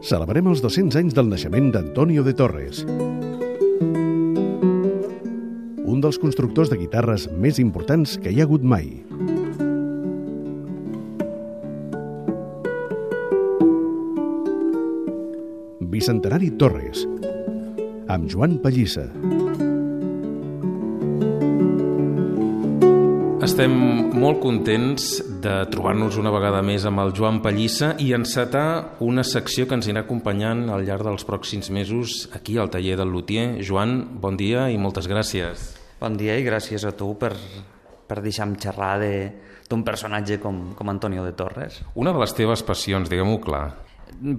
Celebrem els 200 anys del naixement d'Antonio de Torres, un dels constructors de guitarres més importants que hi ha hagut mai. Bicentenari Torres, amb Joan Pallissa. Estem molt contents de trobar-nos una vegada més amb el Joan Pallissa i encetar una secció que ens anirà acompanyant al llarg dels pròxims mesos aquí al taller del luthier. Joan, bon dia i moltes gràcies. Bon dia i gràcies a tu per deixar-me xerrar d'un personatge com Antonio de Torres. Una de les teves passions, diguem-ho clar.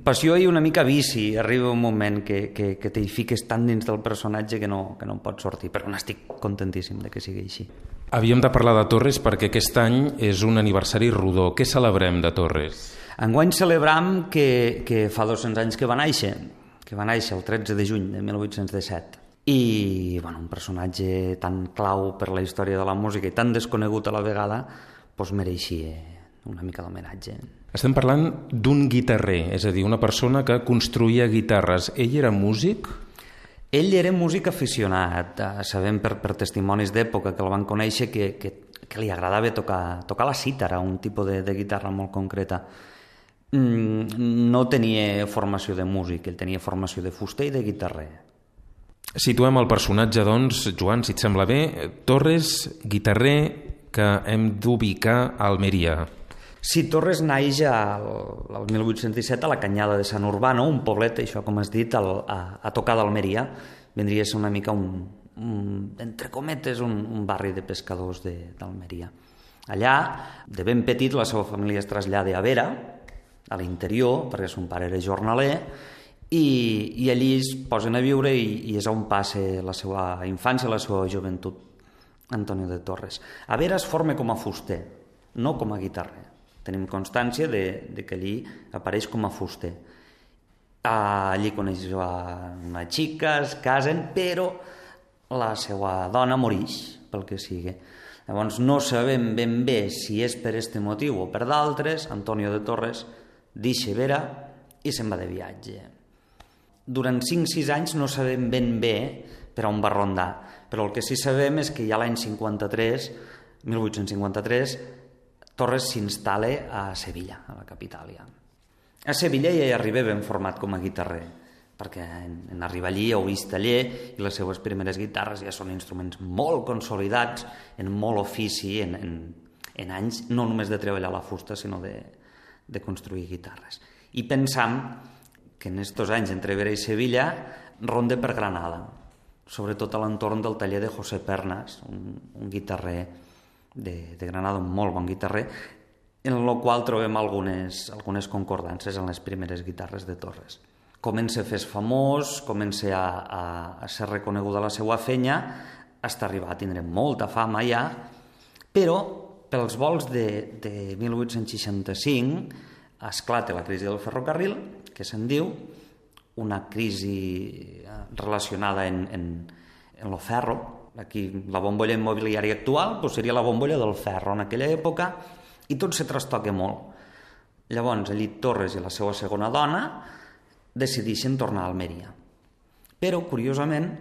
Passió i una mica vici. Arriba un moment que t'hi fiques tant dins del personatge que no en pots sortir, però n'estic contentíssim de que sigui així. Havíem de parlar de Torres perquè aquest any és un aniversari rodó. Què celebrem de Torres? Enguany celebram que fa 200 anys que va néixer el 13 de juny de 1817. I un personatge tan clau per la història de la música i tan desconegut a la vegada, mereixia una mica d'homenatge. Estem parlant d'un guitarrer, és a dir, una persona que construïa guitarres. Ell era músic? Ell era músic aficionat. Sabem per testimonis d'època que el van conèixer que li agradava tocar la cítara, un tipus de guitarra molt concreta. No tenia formació de músic, ell tenia formació de fuster i de guitarrer. Situem el personatge, doncs, Joan, si et sembla bé. Torres, guitarrer que hem d'ubicar a Almeria. Sí, Torres naix el 1817 a la Canyada de Sant Urbano, un poblet, això com has dit, a tocar d'Almeria. Vindria a ser una mica entre cometes, un barri de pescadors d'Almeria. Allà, de ben petit, la seva família es trasllada a Vera, a l'interior, perquè son pare era jornaler, i allí es posen a viure i és on passa la seva infància, la seva joventut, Antonio de Torres. A Vera es forma com a fuster, no com a guitarrer. Tenim constància de que allí apareix com a fuster. Allí coneix una xica, es casen, però la seva dona morix, pel que sigui. Llavors no sabem ben bé si és per aquest motiu o per d'altres. Antonio de Torres deixa Vera i se'n va de viatge. Durant 5-6 anys no sabem ben bé per on va rondar, però el que sí sabem és que ja l'any 1853, Torres s'instal·la a Sevilla, a la capital ja. A Sevilla ja hi arriba ben format com a guitarrer, perquè en arribar allí heu vist taller i les seues primeres guitarres ja són instruments molt consolidats, en molt ofici, en anys no només de treballar la fusta, sinó de construir guitarres. I pensam que en estos anys entre Vera i Sevilla ronda per Granada, sobretot a l'entorn del taller de José Pernas, un guitarrer de Granada, un molt bon guitarrer, en el qual trobem algunes concordances en les primeres guitarres de Torres. Comença a fer-se famós, comença a ser reconeguda la seva fenya, fins a arribar a tindre molta fama ja, però pels volts de 1865 esclata la crisi del ferrocarril, que se'n diu, una crisi relacionada en lo ferro. Aquí la bombolla immobiliària actual seria la bombolla del ferro en aquella època, i tot se trastoca molt. Llavors, allí Torres i la seva segona dona decideixen tornar a Almeria. Però, curiosament,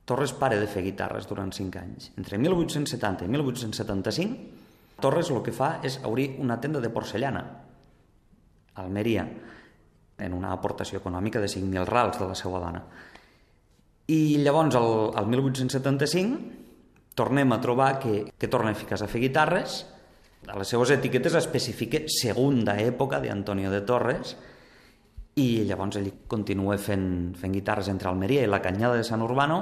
Torres para de fer guitarres durant 5 anys. Entre 1870 i 1875, Torres el que fa és obrir una tenda de porcellana a Almeria, en una aportació econòmica de 5.000 rals de la seva dona. I llavors, al 1875, tornem a trobar que torna a ficar-se a fer guitarres. A les seues etiquetes especifica segunda època d'Antonio de Torres, i llavors ell continua fent guitarres entre Almeria i la Canyada de Sant Urbano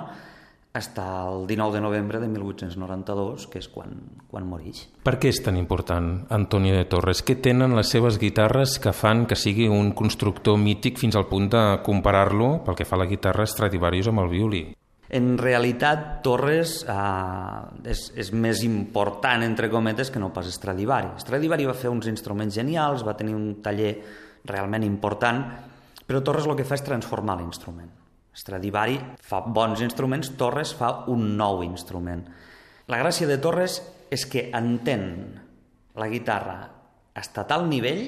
fins al 19 de novembre de 1892, que és quan moreix. Per què és tan important Antonio de Torres? Què tenen les seves guitarres que fan que sigui un constructor mític fins al punt de comparar-lo, pel que fa a la guitarra, Stradivarius amb el violí? En realitat, Torres és més important, entre cometes, que no pas Stradivari. Stradivari va fer uns instruments genials, va tenir un taller realment important, però Torres el que fa és transformar l'instrument. Stradivari fa bons instruments, Torres fa un nou instrument. La gràcia de Torres és que entén la guitarra a tal nivell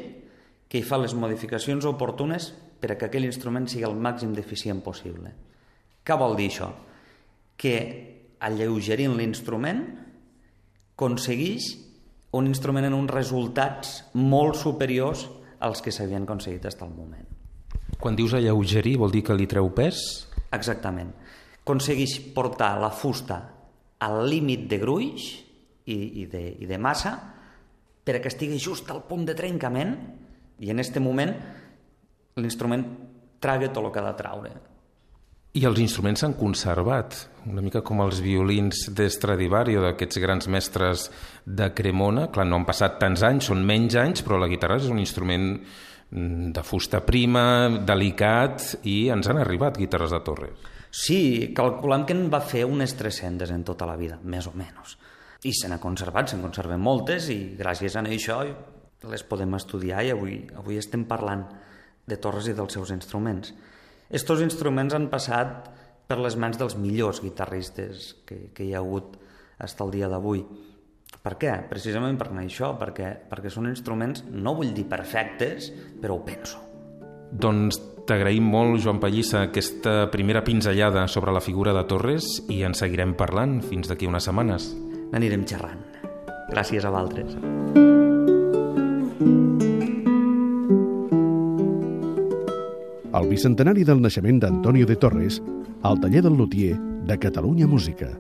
que hi fa les modificacions oportunes per a que aquell instrument sigui el màxim d'eficient possible. Què vol dir això? Que alleugerint l'instrument aconsegueix un instrument en uns resultats molt superiors als que s'havien aconseguit fins al moment. Quan dius alleugerir, vol dir que li treu pes? Exactament. Aconsegueix portar la fusta al límit de gruix i de massa per a que estigui just al punt de trencament i en aquest moment l'instrument traga tot el que ha de traure. I els instruments s'han conservat, una mica com els violins d'Stradivari o d'aquests grans mestres de Cremona. Clar, no han passat tants anys, són menys anys, però la guitarra és un instrument de fusta prima, delicat, i ens han arribat guitarres de Torres. Sí, calculem que en va fer unes 300 en tota la vida, més o menys. I se n'ha conservat, se'n conserven moltes, i gràcies a això les podem estudiar i avui estem parlant de Torres i dels seus instruments. Estos instruments han passat per les mans dels millors guitarristes que hi ha hagut fins al dia d'avui. Per què? Precisament per això, perquè són instruments, no vull dir perfectes, però ho penso. Doncs t'agraïm molt, Joan Pallissa, aquesta primera pinzellada sobre la figura de Torres i en seguirem parlant fins d'aquí unes setmanes. N'anirem xerrant. Gràcies a vosaltres. El bicentenari del naixement d'Antonio de Torres al taller del lutier de Catalunya Música.